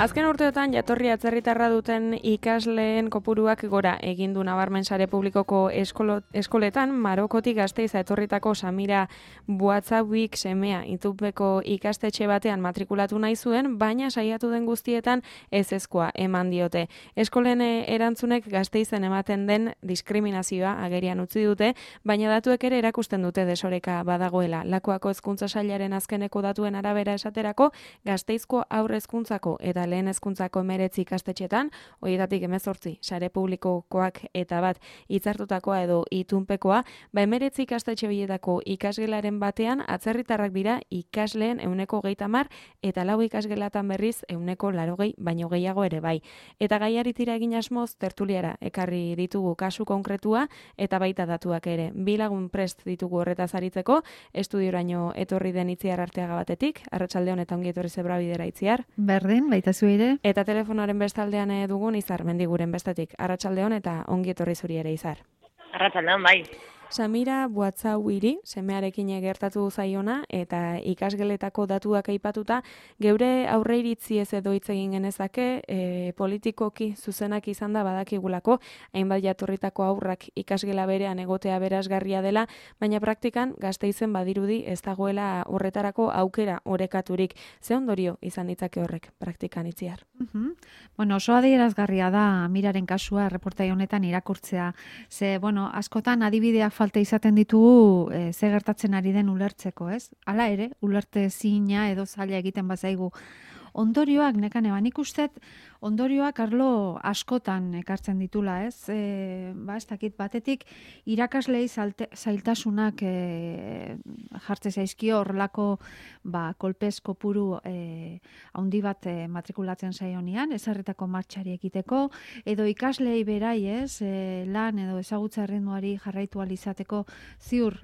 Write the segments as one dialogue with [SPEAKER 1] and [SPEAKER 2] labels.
[SPEAKER 1] Azken urteotan jatorri atzerritarra duten ikasleen kopuruak gora egin du nabarmen sare publikoko eskoletan. Marokotik Gasteiz etorritako Samira Buatzabik semea Itupeko ikastetxe batean matrikulatu nahi zuen, baina saiatu den guztietan ezezkoa eman diote. Eskolen erantzunek Gasteizen ematen den diskriminazioa agerian utzi dute, baina datuek ere erakusten dute desoreka badagoela. Lakuako hezkuntza sailaren azkeneko datuen arabera esaterako, Gasteizko haur hezkuntzako eta lehen hezkuntzako 19 ikastetxetan, horietatik 18 sare publikokoak eta bat hitzartutakoa edo itunpekoa, 19 ikastetxe bietako ikasgelaren batean atzerritarrak dira ikasleen 30% eta 4 ikasgelatan berriz 80 baino gehiago ere bai. Eta gaiari tira egin asmoz tertuliara ekarri ditugu kasu konkretua eta baita datuak ere. Bi lagun prest ditugu horretaz aritzeko, estudioraino etorri den Itziar Arteaga batetik, arratsalde honetan ongi etorri Zebrabidera Itziar.
[SPEAKER 2] Berdin, baita zuire.
[SPEAKER 1] Eta telefonoaren bestaldean dugun Izar Mendiguren bestetik. Arratsaldeon eta ongi etorri zuri ere Izar.
[SPEAKER 3] Arratsaldeon bai.
[SPEAKER 1] Samira Buatzauiri, semearekin gertatu zaiona eta ikasgeletako datuak aipatuta, geure aurreiritziez edo hitz egin genezake, politikoki zuzenak izan da badakigulako, hainbat jatorritako aurrak ikasgela berean egotea berazgarria dela, baina praktikan Gasteizen badirudi ez dagoela horretarako aukera orekaturik. Ze ondorio izan ditzake horrek praktikan Itziar?
[SPEAKER 2] Bueno, oso adierazgarria da Miraren kasua reportai honetan irakurtzea. Ze, askotan adibideak falta izaten ditugu ze gertatzen ari den ulertzeko, ez? Hala ere, ulerte zina edo zaila egiten bazaigu. Ondorioak, nekane, nik ustet, ondorioak arlo askotan ekartzen ditula, ez? Ez dakit, batetik irakaslei zailtasunak jartze zaizkio horrelako kolpez kopuru handi bat matrikulatzen zaionian, ezarritako martxari ekiteko, edo ikaslei berai, ez? Lan edo ezagutza erritmoari jarraitu alizateko ziur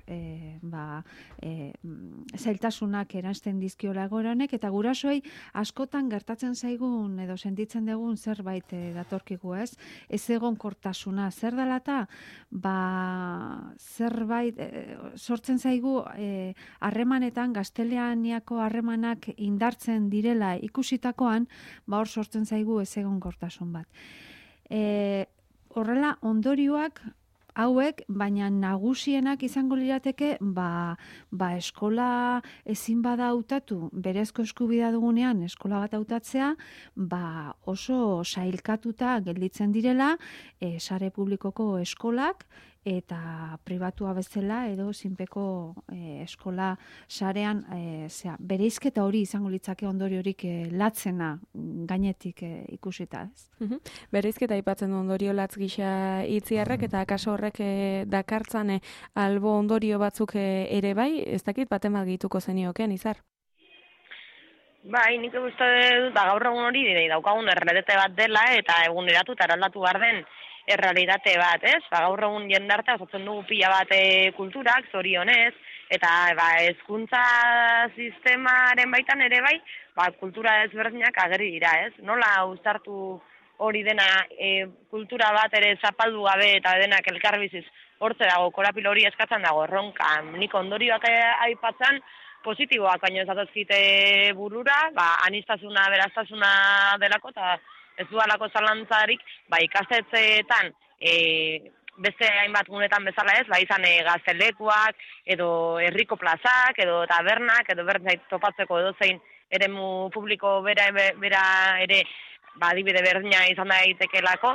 [SPEAKER 2] zailtasunak eransten dizkiola egoeranek, eta gurasoei askotan gertatzen zaigun edo sentitzen dugun zerbait datorkigu, ez? Ez egonkortasuna zer dela eta zerbait sortzen zaigu harremanetan gaztelaniako harremanak indartzen direla ikusitakoan, hor sortzen zaigu ez egonkortasun bat. Horrela ondorioak hauek, baina nagusienak izango lirateke, eskola ezin bada hautatu, berezko eskubidea dugunean eskola bat hautatzea, oso sailkatuta gelditzen direla, sare publikoko eskolak, eta pribatua bezala edo zinpeko eskola sarean bereizketa hori izango litzake ondoriorik latzena gainetik ikusita, ez?
[SPEAKER 1] Bereizketa aipatzen du ondorio latz gisa Itziarrek eta akaso horrek dakartzan albo ondorio batzuk ere bai, ez dakit baten bat gehituko zenioken, Izar?
[SPEAKER 3] Bai, nik uste dut gaur egun hori daukagun errealitate bat dela eta eguneratu eta eraldatu behar den errealitate bat, ez? Gaur egun jendarte osatzen dugu pila bat kulturak, zorionez, eta hezkuntza sistemaren baitan ere bai, kultura ezberdinak ageri dira, ez? Nola uztartu hori dena kultura bat ere zapaldu gabe eta denak elkarbiziz hortze dago, korapilo hori eskatzen dago, erronka, nik ondorioak aipatzen, positiboak baino ez datozkite burura, aniztasuna, beraztasuna delako, eta ez dualako zalantzarik, ikastetxeetan beste hainbat gunetan bezala ez, izan gaztelekuak, edo herriko plazak, edo tabernak, edo berdin topatzeko edozein eremu publiko bera ere adibide berdina izan daitekelako,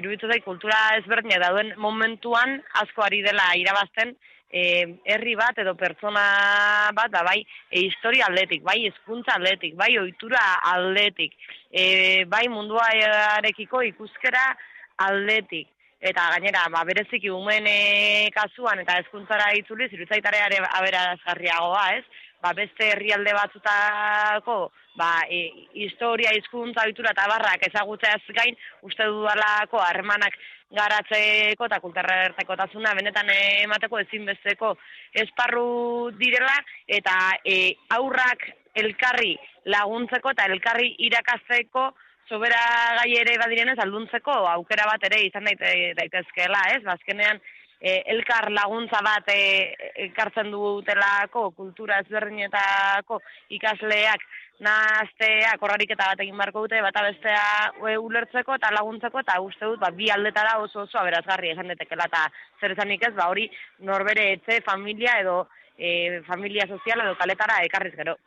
[SPEAKER 3] iruditu zait kultura ezberdina dauden momentuan asko ari dela irabazten herri bat edo pertsona bat, bai historia aldetik, bai hezkuntza aldetik, bai ohitura aldetik, bai munduarekiko ikuskera aldetik. Eta gainera, bereziki umeen kasuan eta hezkuntzara itzuliz, iruditzaitare aberazgarriagoa, ez? Beste herrialde batzutako historia, hizkuntza, ohitura eta barrak ezagutzeaz gain, uste dudalako harremanak garatzeko eta kulturartekotasuna benetan emateko ezinbesteko esparru direla eta aurrak elkarri laguntzeko eta elkarri irakasteko sobera gai ere badirenez alduntzeko aukera bat ere izan daitezkeela, ez? Azkenean elkar laguntza bat ekartzen dutelako kultura ezberdinetako ikasleak nahazteak horrariketa bat egin beharko dute, bata bestea ulertzeko eta laguntzeko, eta uste dut, bi aldetara oso aberazgarri esan detekela, eta zer esanik ez, hori norbere etxe, familia edo familia sozial edo kaletara ekarriz gero.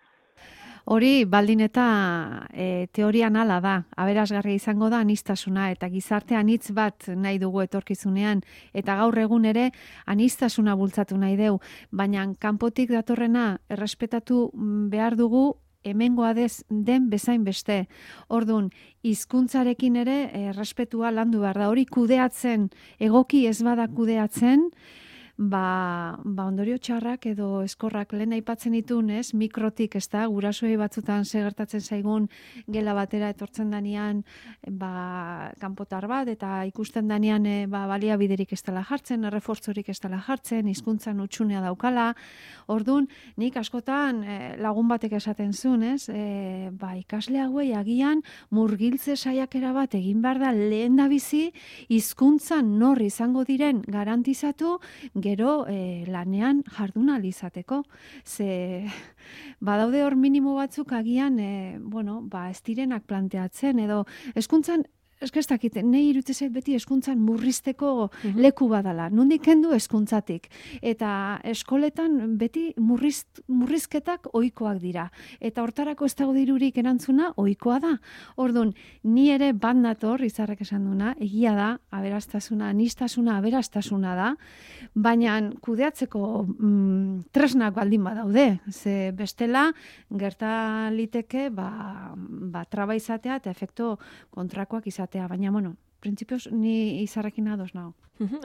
[SPEAKER 2] Hori baldin eta teorian hala da, aberasgarria izango da aniztasuna eta gizarte anitz bat nahi dugu etorkizunean eta gaur egun ere aniztasuna bultzatu nahi deu, baina kanpotik datorrena errespetatu behar dugu hemengoa den bezain beste. Ordun, hizkuntzarekin ere errespetua landu behar da. Hori kudeatzen, egoki ez bada kudeatzen, ondorio txarrak edo eskorrak lehen aipatzen ditun, ez? Mikrotik, ez da, gurasoei batzutan gertatzen zaigun gela batera etortzen danean kanpotar bat, eta ikusten danean baliabiderik ez dela jartzen, errefortzorik ez dela jartzen, hizkuntzan utxunea daukala. Ordun, nik askotan lagun batek esaten zuen, ez? Ikasle hauei agian murgiltze saiakera bat egin behar da lehen da bizi, hizkuntzan nor izango diren garantizatu, gero lanean jardun ahal izateko. Ze badaude hor minimo batzuk agian ez direnak planteatzen edo hezkuntzan eskestakit, nahi irutzezait beti hezkuntzan murrizteko leku badala. Nondik kendu hezkuntzatik. Eta eskoletan beti murrizketak ohikoak dira. Eta hortarako ez dago dirurik erantzuna ohikoa da. Ordun, ni ere bat nator, Izarrek esan duna, egia da, aberastasuna, aniztasuna, aberastasuna da, baina kudeatzeko tresnak baldin badaude. Ze bestela, gerta liteke, traba izatea eta efektu kontrakoak izatea. Baina, printzipioz, ni Izarrekin ados nago.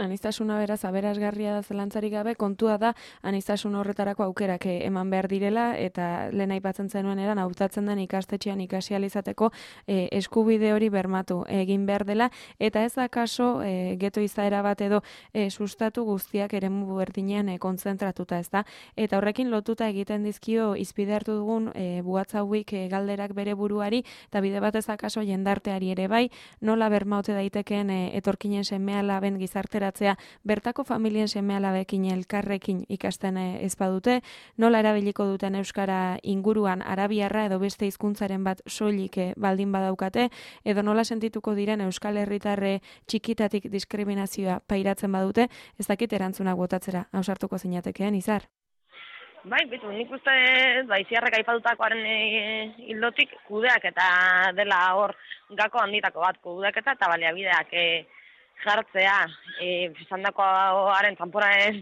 [SPEAKER 1] Aniztasuna beraz aberasgarria da zelantzarik gabe, kontua da aniztasun horretarako aukerak eman behar direla, eta lehen aipatzen zenuen eran hautatzen den ikastetxean ikasi ahal izateko eskubide hori bermatu egin behar dela, eta ez da kaso geto izaera bat edo sustatu guztiak eremu berdinean kontzentratuta, ez da? Eta horrekin lotuta egiten dizkio izpide hartu dugun WhatsAppik galderak bere buruari, eta bide bat ez da kaso jendarteari ere bai, nola bermaute daitekeen etorkinen seme-alaben gizarteratzea bertako familien seme-alabekin elkarrekin ikasten ez badute, nola erabiliko duten euskara inguruan arabiarra edo beste hizkuntzaren bat soilik baldin badaukate, edo nola sentituko diren euskal herritarre txikitatik diskriminazioa pairatzen badute, ez dakit erantzunak botatzera ausartuko zinatekeen, Izar?
[SPEAKER 3] Bai, bitu, nik uste Izarrek aipatutakoaren hildotik kudeak eta dela hor gako handitako bat kudeak eta baliabideak jartzea, izandakoaren kanporaren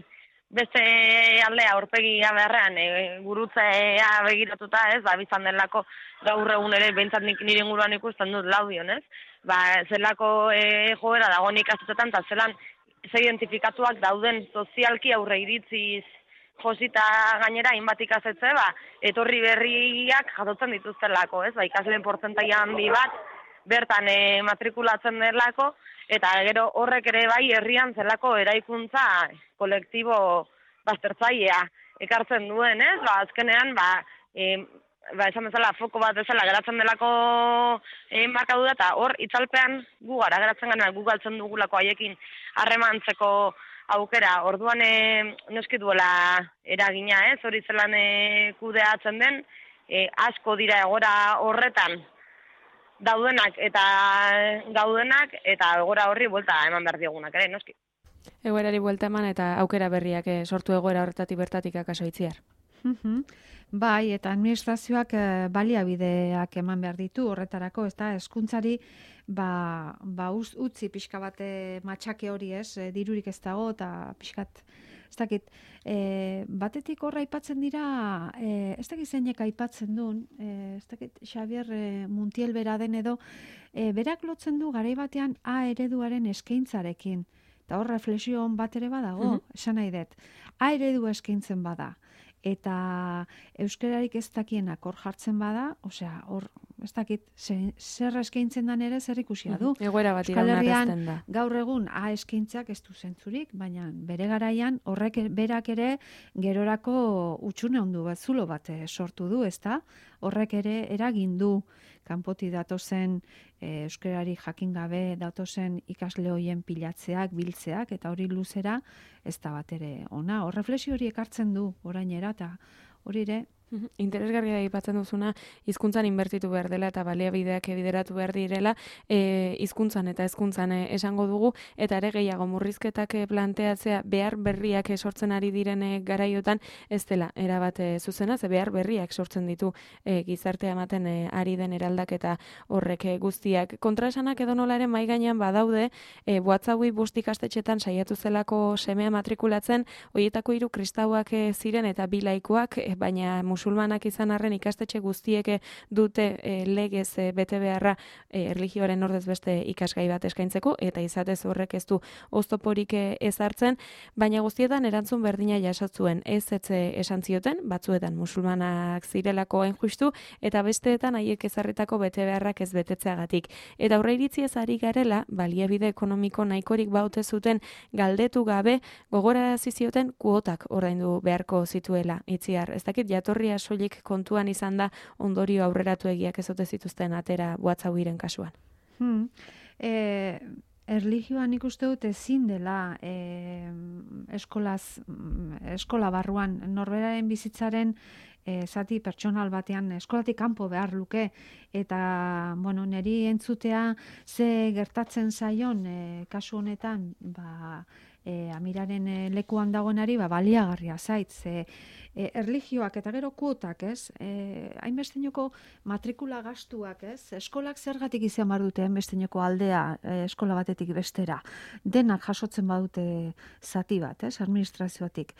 [SPEAKER 3] beste aldea aurpegia beharrean gurutzea begiratuta, ez, bizan delako gaur egun ere behintzat nire inguruan ikusten dut laudion, ez, zelako joera dagoen ikastetan, eta zelan ze identifikatuak dauden sozialki aurre iritziz josita gainera hainbat ikasetze, etorri berriak jasotzen dituztelako, ez, ikasleen portzentaia handi bat, bertan matrikulatzen delako, eta gero horrek ere bai herrian zelako eraikuntza kolektibo baztertzailea ekartzen duen, ez? Azkenean, esan bezala foko bat bezala geratzen delako markadura, eta hor itzalpean gu gara geratzen gana, gu galtzen dugulako haiekin harremantzeko aukera. Orduan noski duela eragina, ez? Hori zelan kudeatzen den, asko dira egora horretan daudenak eta gaudenak, eta egora horri buelta eman behar diogunak ere, noski.
[SPEAKER 1] Egoerari buelta eman eta aukera berriak sortu egoera horretatik bertatik akaso Itziar.
[SPEAKER 2] Bai, eta administrazioak baliabideak eman behar ditu horretarako, ez da, hezkuntzari utzi pixka bat matxake hori, ez, dirurik ez dago, eta pixkat, ez dakit, batetik horra aipatzen dira, ez dakit zeinek aipatzen duen, ez dakit Xabier Muntiel bera den edo, berak lotzen du garai batean A ereduaren eskaintzarekin, eta hor reflexion bat ere badago, esan nahi dut, A eredu eskaintzen bada, eta euskararik ez dakienak hor jartzen bada, osea, hor ez dakit, zer eskaintzen dan ere zer ikusia du.
[SPEAKER 1] Egoera bat
[SPEAKER 2] Euskal Herrian
[SPEAKER 1] iraunarrezten da.
[SPEAKER 2] gaur egun eskaintzak ez du zentzurik, baina bere garaian horrek berak ere gerorako utxune ondu bat, zulo bat sortu du, ezta? Horrek ere eragin du kanpoti datozen euskarari jakin gabe datozen ikasle hoien pilatzeak, biltzeak, eta hori luzera ez da bat ere ona. Hor reflexio hori ekartzen du orainera, eta hori ere
[SPEAKER 1] Interesgarria aipatzen duzuna, hizkuntzan inbertitu behar dela eta baliabideak bideratu behar direla, hizkuntzan eta hezkuntzan esango dugu, eta ere gehiago murrizketak planteatzea behar berriak sortzen ari diren garaiotan ez dela erabat zuzena, ze behar berriak sortzen ditu gizartea ematen ari den eraldaketa horrek guztiak. Kontraesanak edo nola ere mai gainean badaude, WhatsAppi bost ikastetxetan saiatu zelako semea matrikulatzen, horietako 3 kristauak ziren eta 2 laikoak, baina musulmanak izan arren ikastetxe guztiek dute legez bete beharra erlijioaren ordez beste ikasgai bat eskaintzeko, eta izatez horrek ez du oztoporik ezartzen, baina guztietan erantzun berdina jasotzuen, ez esan zioten, batzuetan musulmanak zirelako hain justu, eta besteetan haiek ezarritako bete beharrak ez betetzeagatik. Eta aurre iritziez ari garela, baliabide ekonomiko nahikorik baute zuten galdetu gabe, gogorarazi zioten kuotak ordaindu beharko zituela, Itziar. Ez dakit jatorria soilik kontuan izan da ondorio aurreratuegiak ez ote zituzten atera WhatsAppiren kasuan.
[SPEAKER 2] Erlijioan ikuste dut ezin dela eskola barruan norberaren bizitzaren zati pertsonal batean eskolatik kanpo behar luke, eta niri entzutea ze gertatzen zaion kasu honetan Amiraren lekuan dagoenari baliagarria zait, ze erlijioak eta gero kuotak, ez? Hainbesteneko matrikula gastuak, ez? Eskolak zergatik izan bar dute hainbesteneko aldea eskola batetik bestera. Denak jasotzen badute zati bat, ez? Administrazioatik.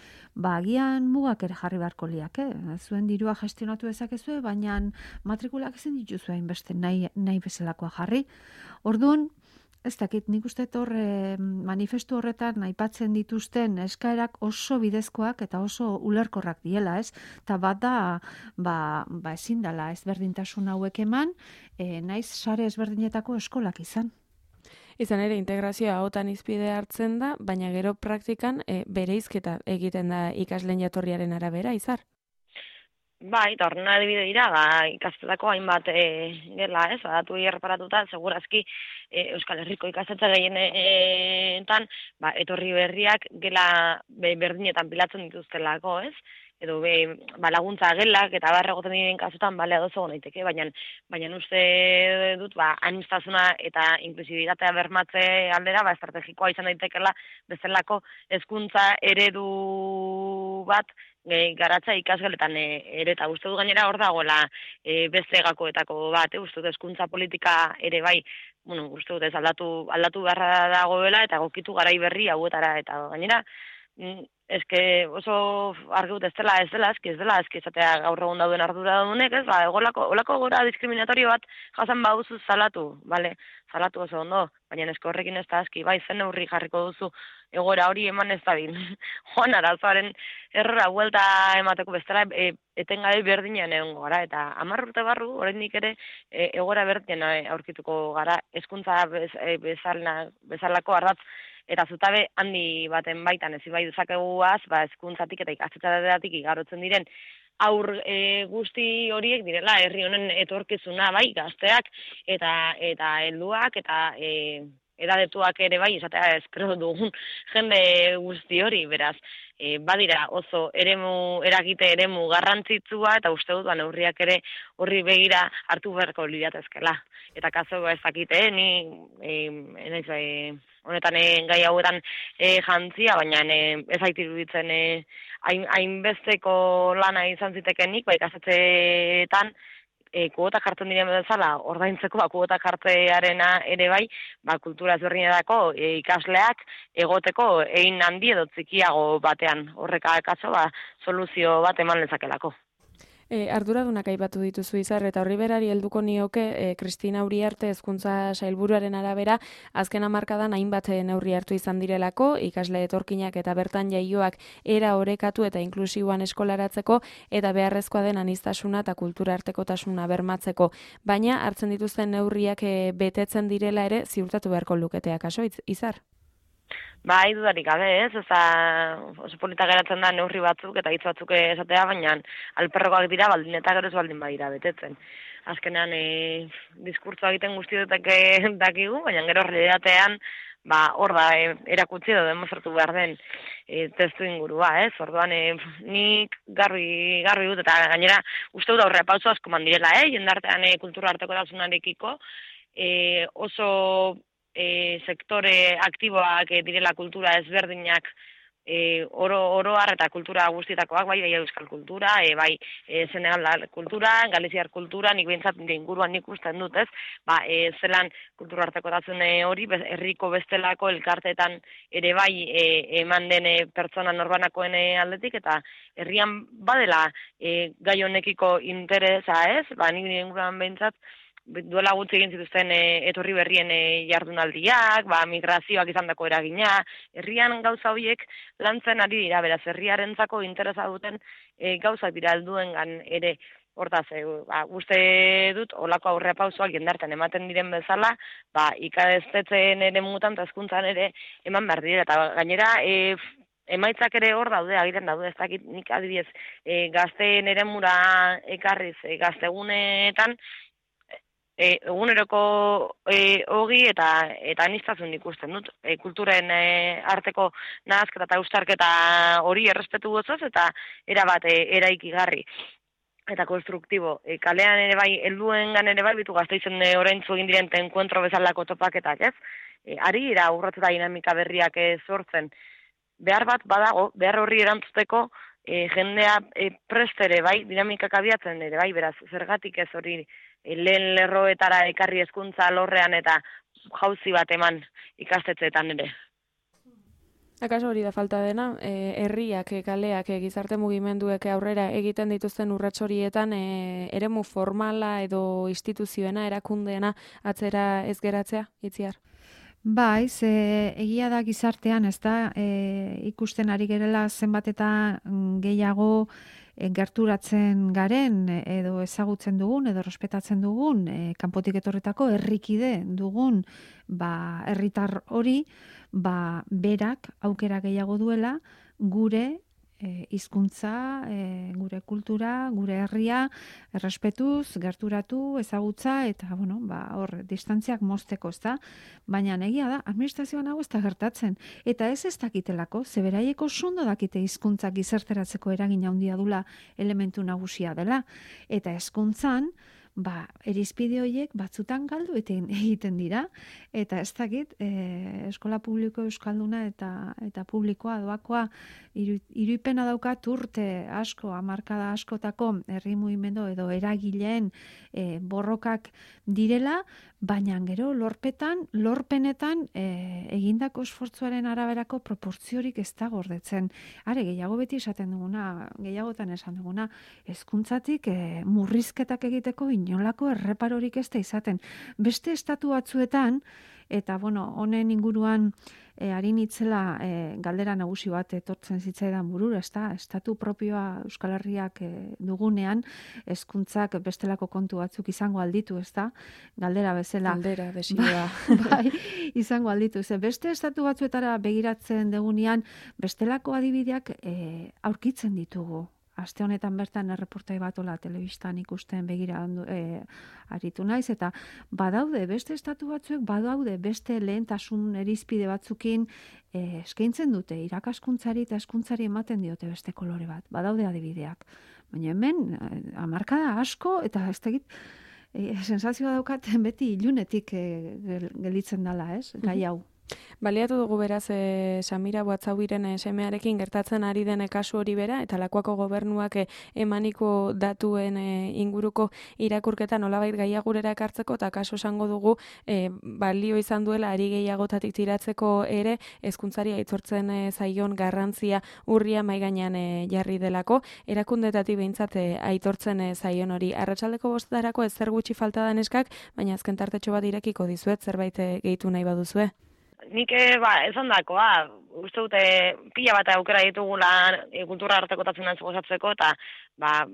[SPEAKER 2] Agian mugak ere jarri beharko liak, zuen dirua gestionatu dezakezue, baina matrikulak ezin dituzu hainbeste nahi bezalakoa jarri. Orduan, ez dakit, nik uste manifestu horretan aipatzen dituzten eskaerak oso bidezkoak eta oso ulerkorrak diela, ez? Eta bat da, ezin dela ezberdintasun hauek eman, naiz sare ezberdinetako eskolak izan.
[SPEAKER 1] Izan ere, integrazioa hautan izpide hartzen da, baina gero praktikan bereizketa egiten da ikasleen jatorriaren arabera, Izar?
[SPEAKER 3] Bai, eta horren adibide dira, ikastetako hainbat gela, ez, datu erreparatuta, segurazki Euskal Herriko ikastetxe gehienetan, etorri berriak gela berdinetan pilatzen dituztelako, ez? Edo laguntza gelak eta barregoten diren kasutan ados egon daiteke, baina uste dut aniztasuna eta inklusibitatea bermatze aldera estrategikoa izan daitekela bezalako hezkuntza eredu bat garatza ikasgeletan ere, eta uste du gainera hor dagoela beste gakoetako bat, uste dut hezkuntza politika ere bai, uste dut ez aldatu beharra dagoela eta gokitu garai berri hauetara, eta gainera eske oso argi dut ez dela, eski esatea gaur egun dauden arduradunek, ez, olako gora diskriminatorio bat jasan baduzu salatu, salatu oso ondo, baina esko horrekin ez da aski, zen neurri jarriko duzu egoera hori eman ez dabil. Joan arazoaren errora buelta emateko bestela etengabe berdinean egongo gara, eta 10 urte barru, oraindik ere egoera berdinean aurkituko gara, hezkuntza bezalako ardatz eta zutabe handi baten baitan ez bai dezakeguaz, hezkuntzatik eta ikastetxeetatik igarotzen diren aur guzti horiek direla herri honen etorkizuna, gazteak eta helduak eta edadetuak ere bai, esatea espero dugun jende guzti hori, beraz, badira oso eragite eremu garrantzitsua, eta uste dut neurriak ere horri begira hartu beharko liratezkela. Eta kaso ezakite, honetan gai hauetan jantzia, baina ez hait iruditzen hainbesteko lana izan zitekenik, ikastetxeetan kuotak jartzen diren bezala, ordaintzeko kuotak jartzearena ere bai, kultura ezberdinetako ikasleak egoteko egin handi edo txikiago batean. Horrek akaso soluzio bat eman lezakelako.
[SPEAKER 1] Arduradunak aipatu dituzu Izar, eta horri berari helduko nioke Kristina Uriarte hezkuntza sailburuaren arabera, azken hamarkadan hainbat neurri hartu izan direlako, ikasle etorkinak eta bertan jaioak era orekatu eta inklusiboan eskolaratzeko, eta beharrezkoa den aniztasuna eta kultura artekotasuna bermatzeko. Baina hartzen dituzten neurriak betetzen direla ere ziurtatu beharko luketea, kaso, Izar?
[SPEAKER 3] Bai, dudarik gabe, ez? Oso polita geratzen da neurri batzuk eta hitz batzuk esatea, baina alperrokoak dira baldin eta gero ez baldin badira betetzen. Azkenean, diskurtsoa egiten guztiotek dakigu, baina gero realitatean, hor da, erakutsi edo demostratu behar den testu ingurua, ez? Orduan, nik garbi dut, eta gainera, uste dut aurrera pauso asko mandirela, jendartean kultura artekotasunekiko, oso sektore aktiboak direla kultura ezberdinak oroar eta kultura guztietakoak, bai euskal kultura, bai Senegal kultura, Galiziar kultura, nik behintzat inguruan nik usten dut, ez? Zelan kultura artekotasun hori, herriko bestelako elkarteetan ere bai eman den pertsona norbanakoen aldetik, eta herrian badela gai honekiko interesa, ez? Nik inguruan behintzat, duela gutxi egin zituzten etorri berrien jardunaldiak, migrazioak izandako eragina, herrian gauza horiek lantzen ari dira, beraz, herriarentzako interesa duten gauzak dira helduengan ere. Hortaz, uste dut, olako aurrea pausoak jendartean ematen diren bezala, ikastetxeen ere mutan eta hezkuntzan ere eman behar dira, eta gainera, emaitzak ere hor daude, agiren daude, ez dakit nik adibidez, gazteen eremura ekarriz, gaztegunetan, eguneroko ogi eta aniztasun ikusten dut. Kulturen arteko nahazketa eta eustarketa hori errespetu gozoz eta erabat eraikigarri eta konstruktibo. Kalean ere bai, helduengan ere bai, bitu Gasteizen oraintzu egin diren enkuentro bezalako topaketak, ez? Ari ira urratz eta dinamika berriak sortzen. Behar bat badago, behar horri erantzuteko jendea prestere bai, dinamikak abiatzen ere bai, beraz, zergatik ez hori lehen lerroetara ekarri hezkuntza alorrean eta jauzi bat eman ikastetxeetan ere.
[SPEAKER 1] Akaso hori da falta dena, herriak, kaleak, gizarte mugimenduek aurrera egiten dituzten urrats horietan eremu formala edo instituzioena, erakundeena atzera ez geratzea, Itziar?
[SPEAKER 2] Bai, egia da gizartean, ez da, ikusten ari gerela zenbat eta gehiago gerturatzen garen edo ezagutzen dugun edo respetatzen dugun kanpotik etorretako herrikide dugun herritar hori berak aukera gehiago duela gure hizkuntza, gure kultura, gure herria errespetuz, gerturatu, ezagutza eta hor distantziak mozteko, ezta? Baina egia da administrazioan hau ez da gertatzen eta ez dakitelako, ze beraieko ondo dakite hizkuntzak gizarteratzeko eragina handia dula elementu nagusia dela eta hezkuntzan irizpide horiek batzutan galdu egiten dira eta ez dakit eskola publiko euskalduna eta publikoa doakoa iruipena daukat urte asko, hamarkada askotako herri mugimendu edo eragileen borrokak direla, baina gero lorpenetan egindako esfortzuaren araberako proportziorik ez da gordetzen. Are gehiago beti gehiagotan esan duguna, hezkuntzatik murrizketak egiteko inolako erreparorik ez da izaten. Beste estatu batzuetan, eta honen inguruan ari nitzela galdera nagusi bat etortzen zitzaidan burura, estatu propioa Euskal Herriak dugunean, hezkuntzak bestelako kontu batzuk izango alditu, galdera bezala.
[SPEAKER 1] Galdera, desioa.
[SPEAKER 2] Bai, izango alditu. Beste estatu batzuetara begiratzen dugunean, bestelako adibideak aurkitzen ditugu. Aste honetan bertan erreportai bat telebistan ikusten begira aritu naiz, eta badaude beste estatu batzuek, badaude beste lehentasun irizpide batzukin eskaintzen dute irakaskuntzari eta hezkuntzari ematen diote beste kolore bat. Badaude adibideak. Baina hemen hamarkada asko eta ez dakit sensazioa daukaten beti ilunetik gelditzen dela, ez? Gai hau.
[SPEAKER 1] Baliatu dugu beraz Samira Buatzabiren semearekin gertatzen ari den kasu hori bera, eta Lakuako gobernuak emaniko datuen inguruko irakurketa nolabait gaiagurera ekartzeko, eta kasu esango dugu balio izan duela ari gehiagotatik tiratzeko ere, hezkuntzari aitortzen zaion garrantzia urria mahai gainean jarri delako, erakundetatik behintzat aitortzen zaion hori. Arratsaldeko 5:00 ez zer gutxi falta da neskak, baina azken tartetxo bat irekiko dizuet, zerbait gehitu nahi baduzue.
[SPEAKER 3] Nik esan dakoa, uste dute pila bat aukera ditugula kultura artekotatzen gozatzeko eta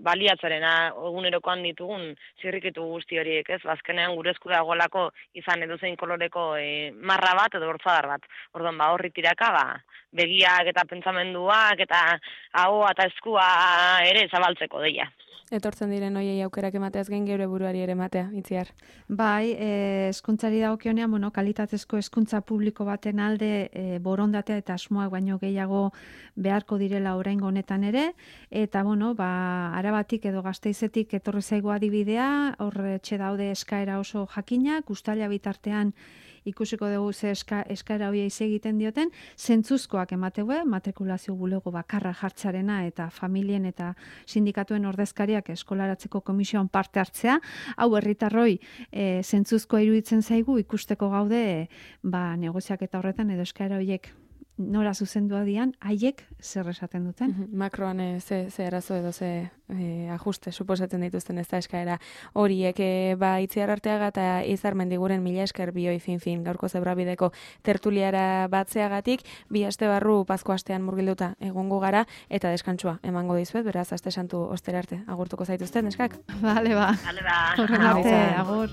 [SPEAKER 3] baliatzarena egunerokoan ditugun zirrikitu guzti horiek, ez? Azkenean gure esku dagoelako izan edozein koloreko marra bat edo hortzadar bat. Orduan horri tiraka begiak eta pentsamenduak eta ahoa eta eskua ere zabaltzeko deia.
[SPEAKER 1] Etortzen diren hoiei aukerak emateaz gain geure buruari ere ematea, Itziar.
[SPEAKER 2] Bai, hezkuntzari dagokionean, kalitatezko hezkuntza publiko baten alde borondatea eta asmoak baino gehiago beharko direla oraingo honetan ere, eta Arabatik edo Gasteizetik etorri zaigu adibidea, hor etxe daude eskaera oso jakinak, uztaila bitartean ikusiko dugu ze eskaera hoia egiten dioten, zentzuzkoak emateue, matrikulazio bulego bakarra jartzarena eta familien eta sindikatuen ordezkariak eskolaratzeko komisioan parte hartzea, hau herritarroi zentzuzkoa iruditzen zaigu ikusteko gaude negoziaketa horretan edo eskaera horiek nora zuzendua dian, haiek zer esaten duten.
[SPEAKER 1] Makroan ze arazo edo ze ajuste suposatzen dituzten ez da eskaera horiek Itziar Arteaga eta Izar Mendiguren mila esker bioi fin gaurko Zebrabideko tertuliara batzeagatik, 2 aste barru Pasko astean murgilduta egongo gara eta deskantsua emango dizuet, beraz aste santu ostera arte agurtuko zaituzten neskak.
[SPEAKER 2] Vale, ba.
[SPEAKER 3] Vale, ba.
[SPEAKER 2] Horren arte, agur.